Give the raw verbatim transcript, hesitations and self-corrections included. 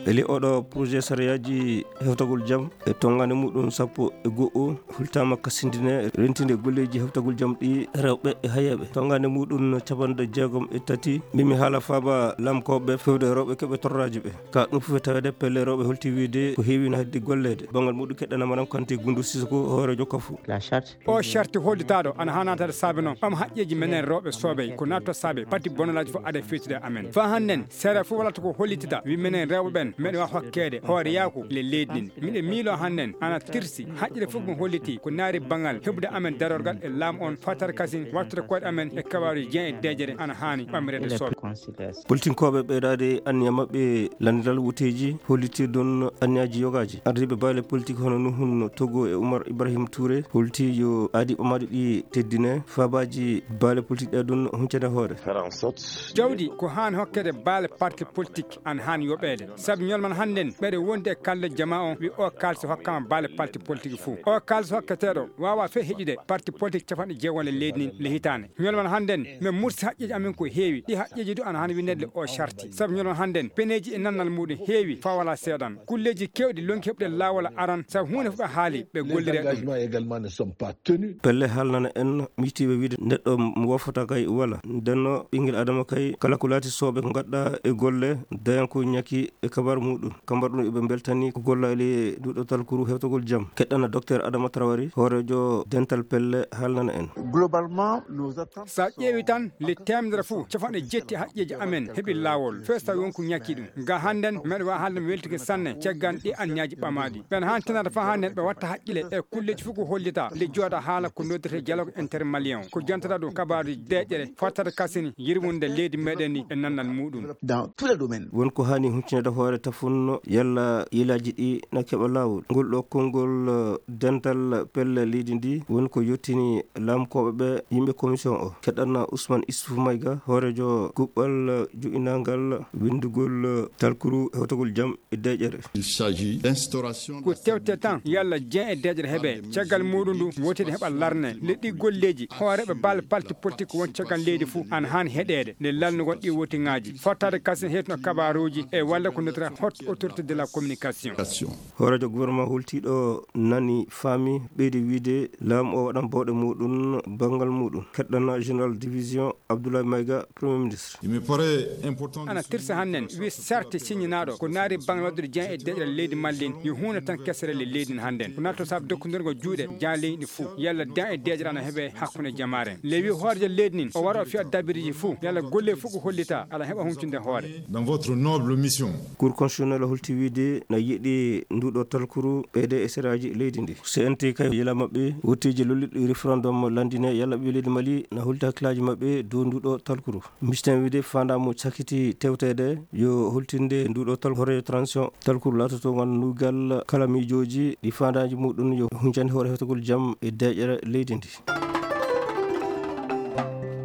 Eli oɗo projet sariyaaji hewtagol jam e tonngande muɗum sappo e go'o hultaama kasindine rentinde golleeji hewtagol jam ɗi rewɓe e hayeeɓe. Tonngande muɗum capanɗe jeegom e tati, mimi haala faaba lamkooɓe fewde rewɓe keɓe torraaji ɓe. Ka ɗum fof e taweede pelle rewɓe holti wiyde ko heewi no heddi golleede. Banngal muɗum keɗɗana Madame Kanté Gundu Sisoko hooreejo kafu. O sarti hollitaaɗo ana haa naataade saabe noon ɓam haqqeeji menen rewɓe soobey ko naatto saabe pati bonolaaji fof ada feetude amen. Faa hannden seeɗa fof walata ko hollitida wi menen rewɓe ɓen meɗen waawi hokkeede hooreyaaku le leydi ndin. Miɗen miiloo hannden ana tirsi haqqille fof mo holliti ko naari banngal heɓude amen darorgal e laamu on fattata kasin wattude koyɗe amen e kabaaruji jean e deeƴere ana haani ɓamreede soobey. Politinkooɓe ɓeydaade anniya maɓɓe lanndiral wuteeji hollitirɗon anniyaaji yogaaji. Ardiiɓe baale politik hono Nuhun Togo e Umar Ibrahim Touré holti yo aadi ɓamaaɗi ɗi teddine faabaaji baale politik ɗe ɗum huncande hoore. Jawdi ko haan hokkeede baale parti politik an haan yoɓeede. Sabu ñolman hannden ɓeɗe wondi e kalde jama on wi o kaalsi hokkama baale parti politik fuu. O kaalsi hokketeeɗo waawa fee heƴude parti politik capanɗe jeegom le leydi ndin le hitaande. Ñolman hannden min mursi haqqeeji amen ko heewi. Ɗi haqqeeji du ana han winneede le o sarti. Sabu ñolman hannden peneeji e nannal muɗum heewi faa wala seeɗan. Kulleeji keewɗi lonki heɓude laawol aran sabu huunde fof ɓe haali ɓe gollire ɗum. Pelle haalnana en miijtiiɓe wiide neɗɗo mo woofata kay wala. Ndenno ɓinngel Adama kay kala ko laati soɓe ko ngadda e golle dañan ko ñaki e kabar muɗum. Kambar ɗum eɓe mbeltani ko gollaali e nduɗo talkuru hewtagol jam. Keɗɗana Docteur Adama Traoré hooreejo dental pelle haalnana en. Globalement, nos attentes. Sa ƴeewi tan le temedere fof capanɗe jetti haqqeeji amen heɓi laawol fees tawi won ko ñakki ɗum. Ga hannden meɗa waawi haalde mi weltike sanne caggal ɗi anniyaaji ɓamaaɗi ɓen haan tinata faa hannden ɓe watta haqqile e kulleeji fof ko hollita le jooɗa haala ko noddete dialogue intermalien ko jantata ɗum kabaaruji deeƴere fottata kasini yirwunde leydi meɗen ni e nannal muɗum. Dans tous les domaines. Won ko haani huccinede hoore tafunno yalla yilaaji ɗi na keɓa laawol. Ngol ɗo konngol dental pelle leydi ndi woni ko yottini laamkooɓe ɓe yimɓe commission o. Keɗɗanna Ousmane Issouf Mayga hooreejo kuɓɓal joɗɗinangal winndugol talkuru hewtagol jam e deeƴere. Ko tewte tan yalla jean e deeƴere heɓe caggal muɗum ndu wotide heɓa larne le ɗi golleeji hooreeɓe balle parti politik won caggal leydi fof ana haani heɗeede nde lalnugol ɗi wotiŋaaji fottaade kasin heetno kabaruuji e walla ko nodira haute autorité de la communication. Hooreejo gouvernement hultiiɗo nani faami ɓeydi wiide laamu o waɗan bawɗe muɗum banngal muɗum. Keɗɗanna général division Abdoulaye Mayga premier ministre. Ana tirsa hannden wi sarte siññinaaɗo ko naari banngal waɗude jean e deeƴere leydi mallin yo huunde tan kesere le leydi hannden ko natto saabu dokkondirgo juuɗe jaaleyɗi fof yalla dan e deeƴere ana heɓe hakkunde jamaare le wi hooreejo leydi nin o wara o fiya dabiriji fof yalla golle fof ko hollita ala heɓa huncunde hoore. Dans votre noble mission. Cour constitutionnel holti wiide na yiɗi nduɗo talkuru ɓeyde e seraaji leydi ndi. C N T kay yila maɓɓe wotteeji lolliɗi référendum lanndine yalla ɓe leydi Mali na holti hakkillaaji maɓɓe dow nduɗo talkuru. Misten wiide faandamu cakiti tewteede yo holtinde nduɗo tal hooreejo transition talkuru laatoto ngal nugal kala miijooji ɗi faandaaji muɗum yo huncande hoore heftagol jam e deeƴere leydi ndi.